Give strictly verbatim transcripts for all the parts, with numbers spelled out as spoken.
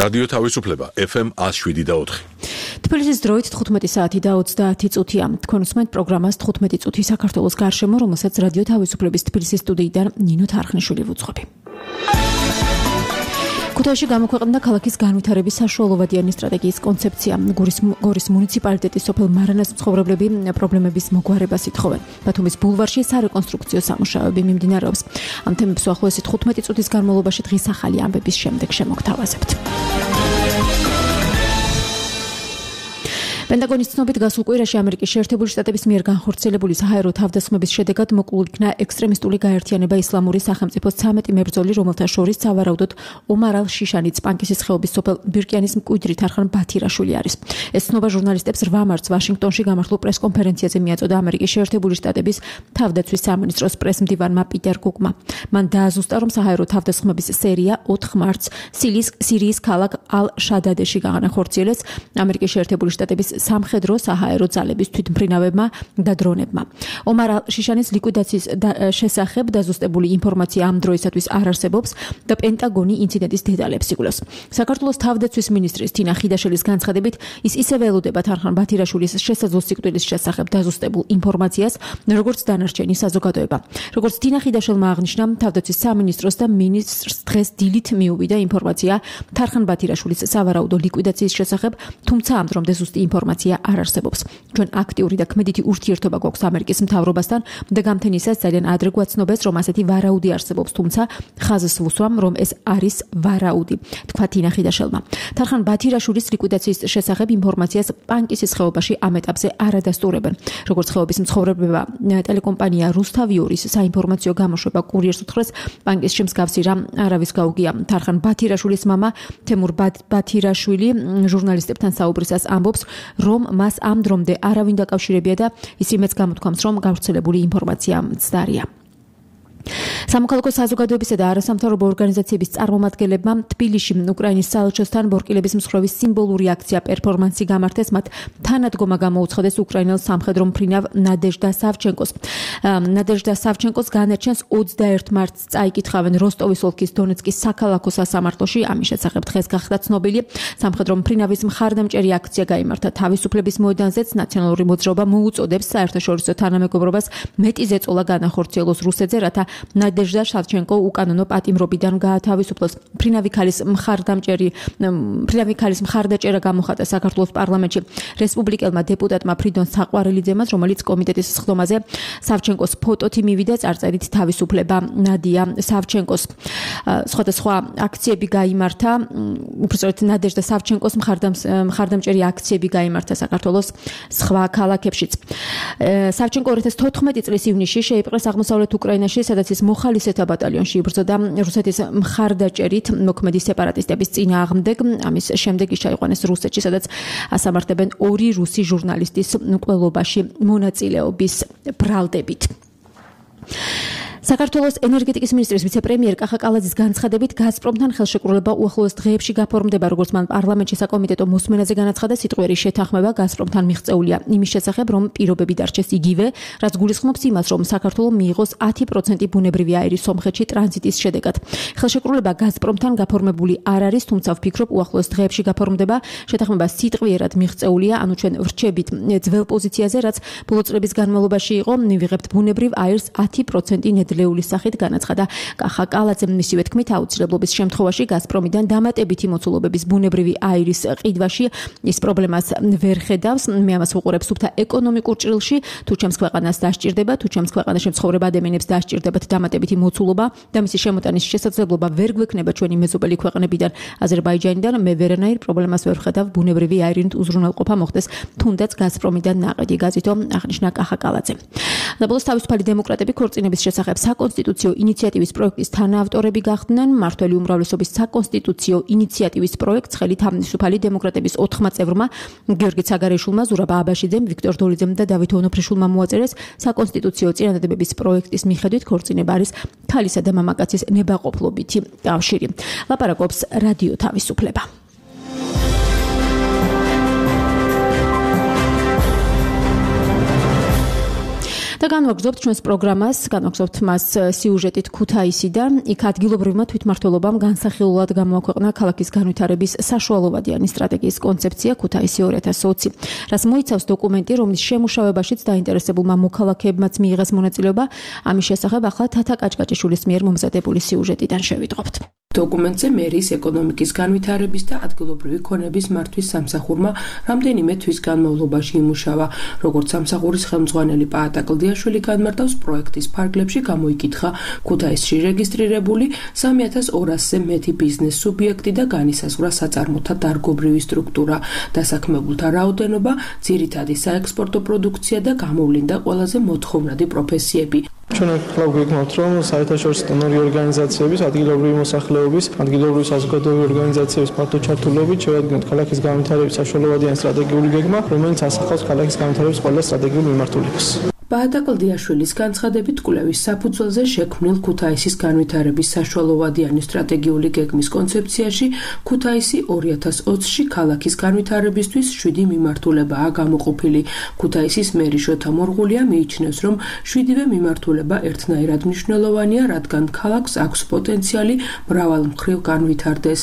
რადიო თავისუფლება ეფ ემ ათს შვიდი და ოთხი. თბილისის დროით თხუთმეტი საათი და ოცდაათი წუთია. თქვენ უსმენთ პროგრამას თხუთმეტი წუთი საქართველოს გარშემო, რომელსაც რადიო თავისუფლების თბილისის სტუდიიდან ნინო თარხნიშვილი ვუძღვები. ქუთაისში გამოქვეყნდა ქალაქის განვითარების საშუალოვადიანი სტრატეგიის კონცეფცია. გორის გორის მუნიციპალიტეტის სოფელ მარანას მცხოვრებლები პრობლემების მოგვარებას ითხოვენ. ბათუმის ბულვარში სარეკონსტრუქციო სამუშაოები მიმდინარეობს. ამ თემებს უახლოესი თხუთმეტი წუთის განმავლობაში დღის ახალი ამბების შემდეგ შემოგთავაზებთ. პენტაგონის ცნობით გასულ კვირაში ამერიკის შეერთებული შტატების მიერ განხორციელებული საჰაერო თავდასხმების შედეგად მოკლულ იქნა ექსტრემისტული გაერთიანება ისლამური სახელმწიფოს ცამეტი მებრძოლი, რომელთა შორის სავარაუდოდ ომარ ალ-შიშანის პანკისის ხეობის სოფელ ბირკიანის მკვიდრი თარხან ბათირაშვილი არის. ეს ცნობა ჟურნალისტებს რვა მარტს ვაშინგტონში გამართულ პრესკონფერენციაზე მიაწოდა ამერიკის შეერთებული შტატების თავდაცვის სამინისტროს პრესმდივანმა პიტერ კუკმა. მან დააზუსტა, რომ საჰაერო თავდასხმების სერია ოთხ მარტს სირიის ქალაქ ალ-შადადეში განახორციელეს ამერიკის შეერთებული შტატების სამხედრო საჰაერო ძალების თვითმფრინავებმა და დრონებმა. ომარ ალ-შიშანის ლიკვიდაციის შესახებ დაზუსტებული ინფორმაცია ამ დროისათვის არ არსებობს და პენტაგონი ინციდენტის დეტალებს იგულებს. საქართველოს თავდაცვის მინისტრის თინა ხიდაშელის განცხადებით, ის ისევ ელოდება თარხან ბათირაშვილის შესაძლო სიკვდილის შესახებ დაზუსტებულ ინფორმაციას, როგორც დანარჩენი საზოგადოება. როგორც თინა ხიდაშელმა აღნიშნა, თავდაცვის სამინისტროს და მინისტრს დღეს დილით მიუვიდა ინფორმაცია თარხან ბათირაშვილის სავარაუდო ლიკვიდაციის შესახებ, თუმცა ამ დრომდე ზუსტი ინფორმაცია არ არსებობს. ჩვენ აქტიური და ქმედითი ურთიერთობა გვაქვს ამერიკის მთავრობასთან და გამთენისას ძალიან ადრე გვაცნობეს, რომ ასეთი ვარაუდი არსებობს, თუმცა ხაზს ვუსვამ, რომ ეს არის ვარაუდი, თქვა თინა ხიდაშელმა. თარხან ბათირაშვილის ლიკვიდაციის შესახებ ინფორმაციას პანკისის ხეობაში ამ ეტაპზე არ ადასტურებენ. როგორც ხეობის მცხოვრებლებმა ტელეკომპანია რუსთავიორის საინფორმაციო გამოშვება კურიერს უთხრეს, პანკისში მსგავსი რამ არავის გაუგია. თარხან ბათირაშვილის მამა თემურ ბათირაშვილი ჟურნალისტებთან საუბრისას ამბობს, რომ მას ამ დრომდე არავინ დაკავშირებია და ის იმეც გამოთქვამს, რომ გავრცელებული ინფორმაცია მცდარია. სამოქალაქო საზოგადოებისა და არასამთავრობო ორგანიზაციების წარმომადგენლებმა თბილისში უკრაინის საელჩოსთან ბორკილების მსხვერპლის სიმბოლური აქცია პერფორმანსი გამართეს, მათ თანადგომა გამოუცხადეს უკრაინელ სამხედრო მფრინავ ნადეჟდა სავჩენკოს. ნადეჟდა სავჩენკოს განარჩენს ოცდაერთ მარტს წაიკითხავენ როსტოვის ოლქის დონეცკის საქალაქო სასამართლოში. ამის შესახებ დღეს გახდა ცნობილი. სამხედრო მფრინავის მხარდამჭერი აქცია გაიმართა თავისუფლების მოედანზეც. ნაციონალური მოძრაობა მოუწოდებს საერთაშორისო თანამეგობრობას მეტი ზეწოლა განახორციელოს რუსეთზე, რათა ნადეჟდა სავჩენკო უკანონო პატიმრობიდან გაათავისუფლოს. მფრინავი ქალის მხარდამჭერი მფრინავი ქალის მხარდაჭერა გამოხატა საქართველოს პარლამენტში რესპუბლიკელმა დეპუტატმა ფრიდონ საყვარელიძემ, რომელიც კომიტეტის სხდომაზე სავჩენკოს ფოტოთი მივიდა წარწერით თავისუფლება ნადია სავჩენკოს. სხვადასხვა აქციები გაიმართა, უბრალოდ ნადეჟდა სავჩენკოს მხარდამჭერი აქციები გაიმართა საქართველოს სხვა ქალაქებშიც. სავჩენკო ორი ათას თოთხმეტი წლის ივნისში შეიპყრეს აღმოსავლეთ უკრაინაში, სადაც ის მოხალისეთა ბატალიონში იბრძოდა რუსეთის მხარდაჭერით მოქმედი სეპარატისტების წინააღმდეგ. ამის შემდეგ ის ჩაიყვანეს რუსეთში, სადაც ასამართებენ ორი რუსი ჟურნალისტის მკვლელობაში მონაწილეობის ბრალდებით. საქართველოს ენერგეტიკის მინისტრის ვიცე-პრემიერ კახა კალაძის განცხადებით, გაზპრომთან ხელშეკრულება უახლოეს დღეებში გაფორმდება, როგორც მან პარლამენტში საკომიტეტო მოსმენაზე განაცხადა. სიტყვიერი შეთანხმება გაზპრომთან მიღწეულია იმის შესახებ, რომ პირობები დარჩეს იგივე, რაც გულისხმობს იმას, რომ საქართველო მიიღოს ათი პროცენტი ბუნებრივი აირი სომხეთში ტრანზიტის შედეგად. ხელშეკრულება გაზპრომთან გაფორმებული არ არის, თუმცა ვფიქრობ, უახლოეს დღეებში გაფორმდება. შეთანხმება სიტყვიერად მიღწეულია, ანუ ჩვენ ვრჩებით ძველ პოზიციაზე, რაც ბოლო წლების განმავლობაში იყო, მივიღებთ ბუნებრივ აირს ათი პროცენტი ლეულის სახით, განაცხადა კახა კალაძემ. მისივე თქმით, აუცილებლობის შემთხვევაში გაზპრომიდან დამატებითი მოცულობების ბუნებრივი აირის ყიდვაში ის პრობლემას ვერ ხედავს. მე ამას ვუყურებ სუფთა ეკონომიკურ ჭრილში, თუ ჩემს ქვეყანას დასჭირდება, თუ ჩემს ქვეყანაში მცხოვრებ ადამიანებს დასჭირდებათ დამატებითი მოცულობა და მისი შემოტანის შესაძლებლობა ვერ გვექნება ჩვენი მეზობელი ქვეყნებიდან, აზერბაიჯანიდან, მე ვერანაირ პრობლემას ვერ ვხედავ ბუნებრივი აირით უზრუნველყოფა მოხდეს თუნდაც გაზპრომიდან ნაყიდი, გაზითო აღნიშნა კახა კალაძემ. საბოლოოდ თავისუფალი დემოკრატები ქორწინების შესახებ საკონსტიტუციო ინიციატივის პროექტის თანაავტორები გახდნენ. მმართველი უმრავლესობის საკონსტიტუციო ინიციატივის პროექტს ხელით თავისუფალი დემოკრატების ოთხმა წევრმა, გიორგი ცაგარეიშვილმა, ზურაბ აბაშიძემ, ვიქტორ დოლიძემ და დავით ონოფრიშვილმა მოაწერეს. საკონსტიტუციო წინადადებების პროექტის მიხედვით ქორწინება არის ქალისა და მამაკაცის ნებაყოფლობითი კავშირი. ლაპარაკობს რადიო თავისუფლება. და განვაგრძობთ ჩვენს პროგრამას, განვაგრძობთ მას სიუჟეტით ქუთაისიდან. იქ ადგილობრივმა თვითმმართველობამ განსახილულად გამოაქვეყნა ქალაქის განვითარების საშუალოვადიანი სტრატეგიის კონცეფცია ქუთაისი ორი ათას ოცი, რაც მოიცავს დოკუმენტი, რომლის შემუშავებაშიც დაინტერესებულმა მოქალაქეებმაც მიიღეს მონაწილეობა. ამის შესახებ ახლა თათა კაჭკაჭიშვილის მიერ მომზადებული სიუჟეტიდან შევიტყობთ. დოკუმენტზე მერის ეკონომიკის განვითარების და ადგილობრივი ქონების მართვის სამსახურმა რამდენიმე თვის განმავლობაში იმუშავა. როგორც სამსახურის ხელმძღვანელი პაატა კლდიაშვილი განმარტავს, პროექტის ფარგლებში გამოიკითხა ქუთაისში რეგისტრირებული სამი ათას ორასზე მეტი ბიზნეს სუბიექტი და განისაზღვრა საწარმოთა დარგობრივი სტრუქტურა, დასაქმებულთა რაოდენობა, ძირითადი საექსპორტო პროდუქცია და გამოვლინდა ყველაზე მოთხოვნადი პროფესიები. ჩვენ ახლა გვიგნოთ, რომ საერთაშორისო დონორი ორგანიზაციების, ადგილობრივი მოსახლეობის, ადგილობრივი საზოგადოებრივი ორგანიზაციების ფართო ჩართულობით შევადგინოთ ქალაქის განვითარების საშუალოვადიანი სტრატეგიული გეგმა, რომელიც ასახავს ქალაქის განვითარების ყველა სტრატეგიულ მიმართულებას. პაატა კლდიაშვილის განცხადებით, კვლევის საფუძველზე შექმნილ ქუთაისის განვითარების საშუალოვადიანი სტრატეგიული გეგმის კონცეფციაში ქუთაისი ორი ათას ოცში ქალაქის განვითარებისთვის შვიდი მიმართულებაა გამოყოფილი. ქუთაისის მერი შოთა მორღულია მიიჩნევს, რომ შვიდივე მიმართულება ერთნაირად მნიშვნელოვანია, რადგან ქალაქს აქვს პოტენციალი მრავალმხრივ განვითარდეს.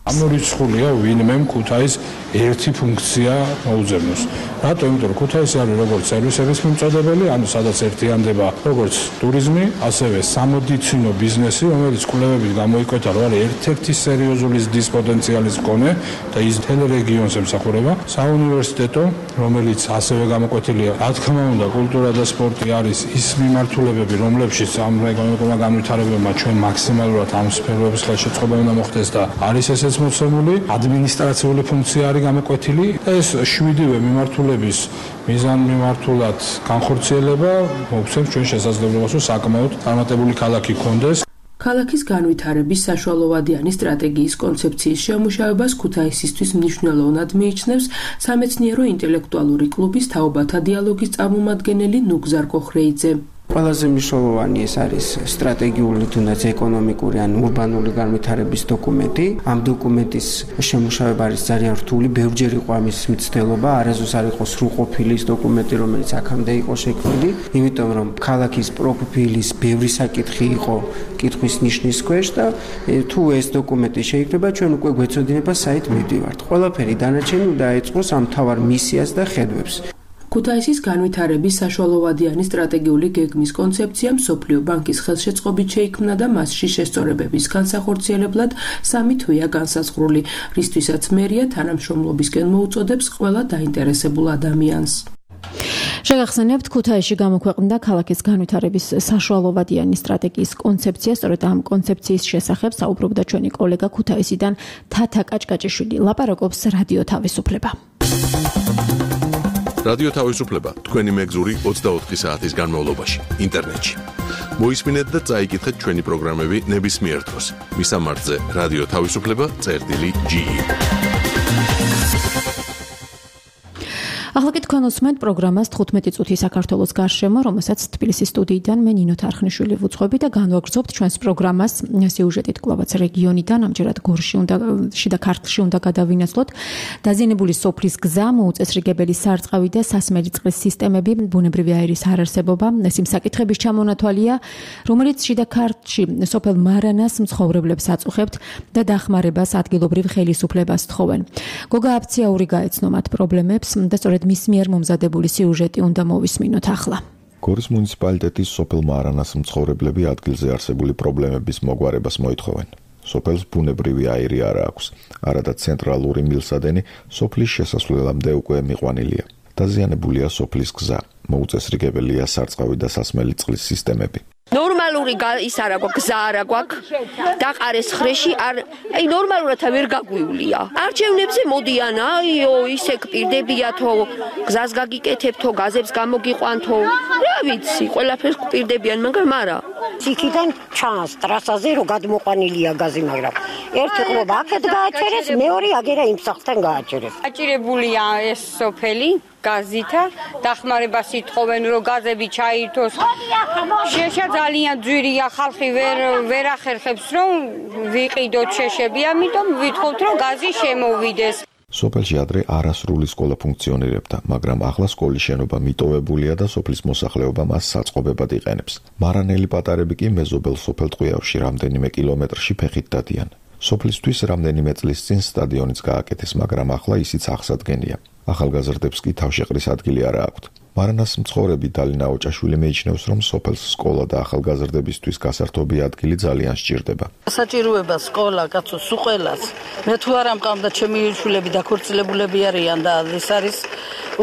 ამორიცხულია ვინმე ქუთაის ერთი ფუნქცია მოუძებნოს. რატო? იმიტომ რომ ქუთაისი არის როგორც სერვისების მიმწოდებელი, ანუ სადაც ერთიანდება როგორც ტურიზმი, ასევე სამედიცინო ბიზნესი, რომელიც კვლევებით გამოიკვეთა, რომ არის ერთ-ერთი სერიოზული ზრდის პოტენციალის მქონე და ის მთელ რეგიონს ემსახურება. საუნივერსიტეტო, რომელიც ასევე გამოკვეთილია, რა თქმა უნდა, კულტურა და სპორტი არის ის მიმართულებები, რომლებშიც ამ ეკონომიკურმა განვითარებებმა ჩვენ მაქსიმალურად ამ სფეროების ხელშეწყობა უნდა მოხდეს და არის ეს მოცემული ადმინისტრაციული ფუნქცია არის გამოკვეთილი და ეს შვიდივე მიმართულების მიზანმიმართულად განხორციელება მოგცემს ჩვენ შესაძლებლობას, რომ საკმაოდ წარმატებული ქალაქი გქონდეს. ქალაქის განვითარების საშუალოვადიანი სტრატეგიის კონცეფციის შემუშავებას ქუთაისისთვის მნიშვნელოვნად მიიჩნევს სამეცნიერო ინტელექტუალური კლუბის თაობათა დიალოგის წარმომადგენელი ნუგზარ კოხრეიძე. ყველაზე მნიშვნელოვანი ეს არის სტრატეგიული თუნდაც ეკონომიკური ან ურბანული განვითარების დოკუმენტი. ამ დოკუმენტის შემუშავება არის ძალიან რთული, ბევრჯერ იყო ამის მცდელობა, არასდროს არ იყო სრულყოფილი ის დოკუმენტი, რომელიც აქამდე იყო შექმნილი, იმიტომ რომ ქალაქის პროფილის ბევრი საკითხი იყო კითხვის ნიშნის ქვეშ და თუ ეს დოკუმენტი შეიქმნება, ჩვენ უკვე გვეცოდინება საით მივდივართ. ყველაფერი დანარჩენი უნდა ეწყოს ამ მთავარ მისიას და ხედვებს. ქუთაისის განვითარების საშუალოვადიანი სტრატეგიული გეგმის კონცეფცია მსოფლიო ბანკის ხელშეწყობით შეიქმნა და მასში შესწორებების განსახორციელებლად სამი თვეა განსაზღვრული, რისთვისაც მერია თანამშრომლობისკენ მოუწოდებს ყველა დაინტერესებულ ადამიანს. შეგახსენებთ, ქუთაისში გამოქვეყნდა ქალაქის განვითარების საშუალოვადიანი სტრატეგიის კონცეფცია. სწორედ ამ კონცეფციის შესახებ საუბრობდა ჩვენი კოლეგა ქუთაისიდან თათა კაჭკაჭიშვილი. ლაპარაკობს რადიო თავისუფლება. რადიო თავისუფლება თქვენი მეგზური ოცდაოთხი საათის განმავლობაში ინტერნეტში. მოისმინეთ და წაიკითხეთ ჩვენი პროგრამები ნებისმიერ დროს. მისამართზე რადიო თავისუფლება წერტილი ჯი. ახლა კი თქვენ უსმენთ პროგრამას თხუთმეტი წუთი საქართველოს გარშემო, რომელსაც თბილისის სტუდიიდან მე ნინო თარხნიშვილი ვუძღვები და განვაგრძობთ ჩვენს პროგრამას სიუჟეტით კვლავაც რეგიონიდან, ამჯერად გორში უნდა შიდა ქართლში უნდა გადავინაცვლოთ. დაზიანებული სოფლის გზა, მოუწესრიგებელი სარწყავი და სასმელი წყლის სისტემები, ბუნებრივი აირის არარსებობა, ეს იმ საკითხების ჩამონათვალია, რომელიც შიდა ქართლში სოფელ მარანას მცხოვრებლებს აწუხებთ და დახმარებას ადგილობრივ ხელისუფლებას თხოვენ. გოგა აფციაური გაეცნო მათ პრობლემებს და სწორედ მის მიერ მომზადებული სიუჟეტი უნდა მოვისმინოთ ახლა. გორის მუნიციპალიტეტის სოფელ მარანას მცხოვრებლები ადგილზე არსებული პრობლემების მოგვარებას მოითხოვენ. სოფელს ბუნებრივი აირი არ აქვს, არადა ცენტრალური მილსადენი სოფლის შესასვლელამდე უკვე მიყვანილია. დაზიანებულია სოფლის გზა, მოუწესრიგებელია სარწყავი და სასმელი წყლის სისტემები. ნორმალური ის არა გვაქვს, გზა არა გვაქვს. დაყარეს ხრეში არ, აი ნორმალურად ვერ გაგვივლია. არჩევნებზე მოდიან, აიო, ისე გპირდებიათო, გზას გაგიკეთებთო, გაზებს გამოგიყვანთო. რა ვიცი, ყველაფერს გპირდებიან, მაგრამ არა. იქიდან ჩანს ტრასაზე რომ გადმოყვანილია გაზი, მაგრამ ერთი ყლობა აქეთ გააჩერეს, მეორე აგერა იმ სახლთან გააჩერეს. აჭირებულია ეს სოფელი გაზითა, დახმარებას ითხოვენ რომ გაზები ჩაირთოს. შეშა ძალიან ძვირია, ხალხი ვერ ვერ ახერხებს რომ ვიყიდოთ შეშები, ამიტომ ვითხოვთ რომ გაზი შემოვიდეს. სოფელში ადრე არასრული სკოლა ფუნქციონირებდა, მაგრამ ახლა სკოლის შენობა მიტოვებულია და სოფლის მოსახლეობა მას საწყობებად იყენებს. მარანელი პატარები კი მეზობელ სოფელ ტყვიავში რამდენიმე კილომეტრში ფეხით დადიან. სოფლისთვის რამდენიმე წლის წინ სტადიონიც გააკეთეს, მაგრამ ახლა ისიც აღსადგენია. ახალგაზრდებს კი თავშეყრის ადგილი არა აქვთ. მარანას მცხოვრები დალინა ოჭაშვილი მიიჩნევს, რომ სოფელს სკოლა და ახალგაზრდებისთვის გასართობი ადგილი ძალიან სჭირდება. საჭიროება სკოლა, კაცო, სულ ყველას. მე თუ არ ამყავდა ჩემი შვილები დაქორწილებულები არიან და ეს არის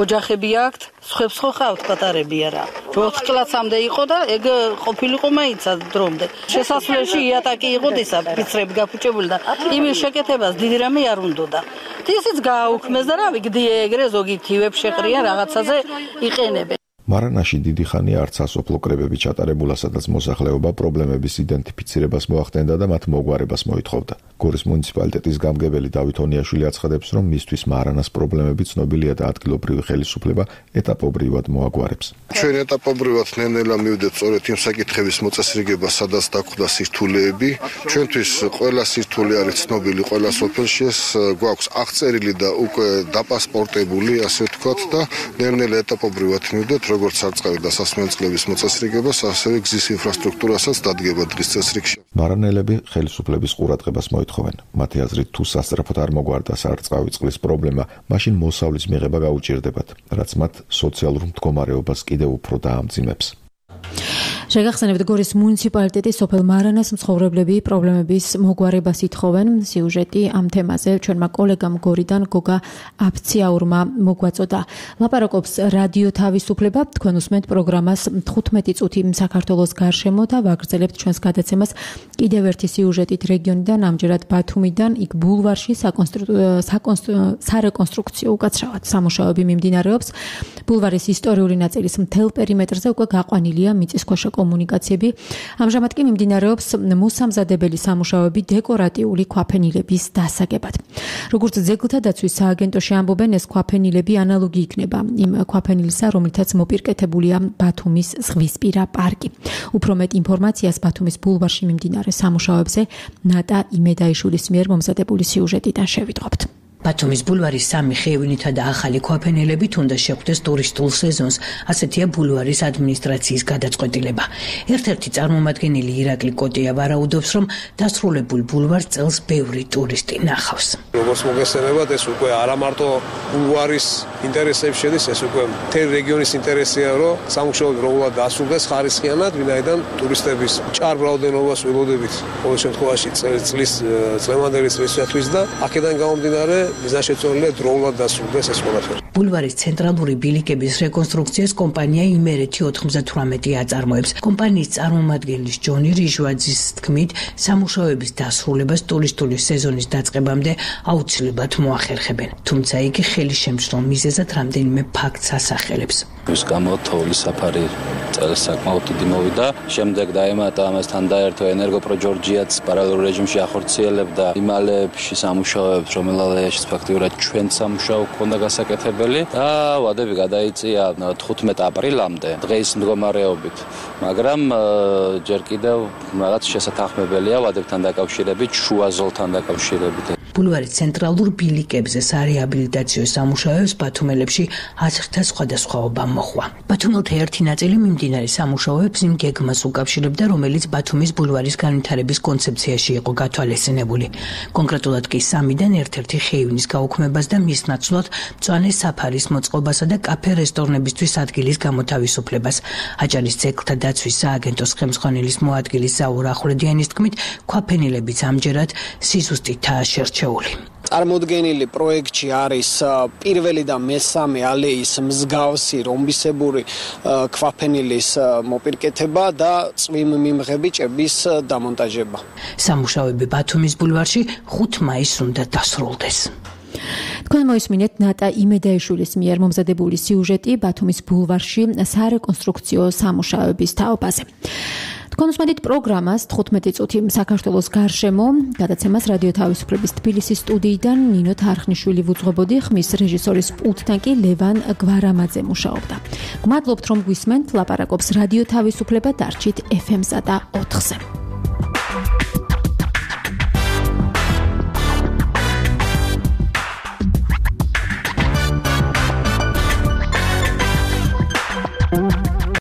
ოჯახები აქვთ, სხვებს ხო ხავთ პატარები არა. ოთხ კლასამდე იყო და ეგ ყოფილიყო მაინცა დრომდე. შესასვლელში იატაკი იყო ისა ფიცრები გაფუჭებული და იმის შეკეთებას დიდი რამე არ უნდოდა. ისიც გააუქმეს და რავი გდიე ეგრე ზოგი თივებს შეყრიან რაღაცაზე იყენებენ. მარანაში დიდი ხანი არც სასოფლო კრებები ჩატარებულა, სადაც მოსახლეობა პრობლემების იდენტიფიცირებას მოახდენდა და მათ მოგვარებას მოითხოვდა. გორის მუნიციპალიტეტის გამგებელი დავით ონიაშვილი აცხადებს, რომ მისთვის მარანას პრობლემები ცნობილია და ადგილობრივი ხელისუფლება ეტაპობრივად მოაგვარებს. ჩვენ ეტაპობრივად ნელ-ნელა მივდეთ სწორედ იმ საკითხების მოწესრიგება, სადაც დაგვხვდა სირთულეები. ჩვენთვის ყველა სირთულე არის ცნობილი ყველა სოფელში, ეს გვაქვს აღწერილი და უკვე დაპასპორტებული, ასე ვთქვათ და ნელ-ნელა ეტაპობრივად მივდეთ როგორც სარწყავი და სასმელწყლების მოწესრიგებას, ასევე გზის ინფრასტრუქტურასაც დადგება დღის წესრიგში. მარანელები ხელისუფლების ყურადღებას მოითხოვენ. მათი აზრით, თუ სასწრაფოდ არ მოგვარდა სარწყავი წყლის პრობლემა, მაშინ მოსავლის მიღება გაუჭირდებათ, რაც მათ სოციალურ მდგომარეობას კიდევ უფრო დაამძიმებს. შეგახსენებთ, გორის მუნიციპალიტეტის სოფელ მარანას მცხოვრებლები პრობლემების მოგვარებას ითხოვენ. სიუჟეტი ამ თემაზე ჩვენმა კოლეგამ გორიდან გოგა აფციაურმა მოგვაწოდა. ლაპარაკობს რადიო თავისუფლება. თქვენ უსმენთ პროგრამას თხუთმეტი წუთი საქართველოს გარშემო და ვაგრძელებთ ჩვენს გადაცემას კიდევ ერთი სიუჟეტით რეგიონიდან, ამჯერად ბათუმიდან, იქ ბულვარში სარეკონსტრუქციო უკაცრავად სამუშაოები მიმდინარეობს. ბულვარის ისტორიული ნაწილის მთელ პერიმეტრზე უკვე გაყვანილია მიწისქვეშა კომუნიკაციები. ამჟამად კი მიმდინარეობს მოსამზადებელი სამუშაოები დეკორატიული ქვაფენილების დასაგებად. როგორც ძეგლთა დაცვის სააგენტოში ამბობენ, ეს ქვაფენილები ანალოგი იქნება იმ ქვაფენილისა, რომლითაც მოპირკეთებულია ბათუმის ზღვისპირა პარკი. უფრო მეტ ინფორმაციას ბათუმის ბულვარში მიმდინარე სამუშაოებზე ნატა იმედაიშვილის მიერ მომზადებული სიუჟეტიდან შევიტყობთ. ბათუმის ბულვარის სამი ხეივინითა და ახალი ქვაფენილებით უნდა შეხვდეს ტურისტულ სეზონს, ასეთია ბულვარის ადმინისტრაციის გადაწყვეტილება. ერთ-ერთი წარმომადგენელი ირაკლი კოტია ვარაუდობს, რომ დასრულებულ ბულვარს წელს ბევრი ტურისტი ნახავს. როგორც მოგესწრებათ, ეს უკვე არა მარტო ბულვარის ინტერესებს შედის, ეს უკვე მთელი რეგიონის ინტერესია, რომ სამუშაოები როგორად დასრულდეს ხარისხიანად, ვინაიდან ტურისტების მჭარ რაოდენობას ველოდებით ყოველ შემთხვევაში წლის წლევანდელი წლისათვის და აქედან გამომდინარე მიზანშეწონილია დროულად დასრულდეს ეს ყველაფერი. ბულვარის ცენტრალური ბილიკების რეკონსტრუქციას კომპანია იმერეთი ოთხმოცდათვრამეტი აწარმოებს. კომპანიის წარმომადგენლის ჯონი რიჟვაძის თქმით, სამუშაოების დასრულებას ტურისტული სეზონის დაწყებამდე აუცილებლად მოახერხებენ. თუმცა იგი ხელისშემწყლ მიზეზად რამდენიმე ფაქტს ასახელებს. ის გამო თოვლის საფარი წელს საკმაოდ დიდი მოვიდა. შემდეგ დაემატა ამასთან დაერთო ენერგოპრო ჯორჯიაც პარალელურ რეჟიმში ახორციელებდა იმალებში სამუშაოებს, რომელთაც ფაქტიურად ჩვენ სამუშაო ქონდა გასაკეთებელი და ვადები გადაიწია თხუთმეტ აპრილამდე დღის მდგომარეობით, მაგრამ ჯერ კიდევ რაღაც შესათანხმებელია ვადებთან დაკავშირებით, შუა ზოლთან დაკავშირებით. ბულვარის ცენტრალურ ბილიკებზე სარეაბილიტაციო სამუშაოებს ბათუმელებში აზრთა სხვადასხვაობა მოხვა. ბათუმელთა ერთი ნაწილი მიმდინარე სამუშაოებს იმ გეგმას უკავშირებდა, რომელიც ბათუმის ბულვარის განვითარების კონცეფციაში იყო გათვალისწინებული. კონკრეტულად კი სამიდან ერთ-ერთი ხეივნის გაუქმებას და მის ნაცვლად მწვანე საფარის მოწყობასა და კაფე რესტორნებისთვის ადგილის გამოთავისუფლებას. აჭარის ძეგლთა დაცვის სააგენტოს ხელმძღვანელის მოადგილის ზაურ ახვლედიანის თქმით, ქვაფენილებიც ამჯერად სიზუსტითაა შერჩეული. წარმოდგენილი პროექტში არის პირველი და მესამე ალეის მსგავსი რომბისებური ქვაფენილის მოპირკეთება და წვიმმიმღები ჭების დამონტაჟება. სამუშაოები ბათუმის ბულვარში ხუთ მაისს უნდა დასრულდეს. თქვენ მოისმინეთ ნატა იმედაიშვილის მიერ მომზადებული სიუჟეტი ბათუმის ბულვარში სარეკონსტრუქციო სამუშაოების თაობაზე. თქვენ უსმენთ პროგრამას თხუთმეტი წუთი საქართველოს გარშემო. გადაცემას რადიო თავისუფლების თბილისის სტუდიიდან ნინო თარხნიშვილი ვუძღვებოდი, ხმის რეჟისორის პულტთან კი ლევან გვარამაძე მუშაობდა. გმადლობთ რომ გვისმენთ, ლაპარაკობს რადიო თავისუფლება, დარჩით ეფ ემსა და ოთხზე.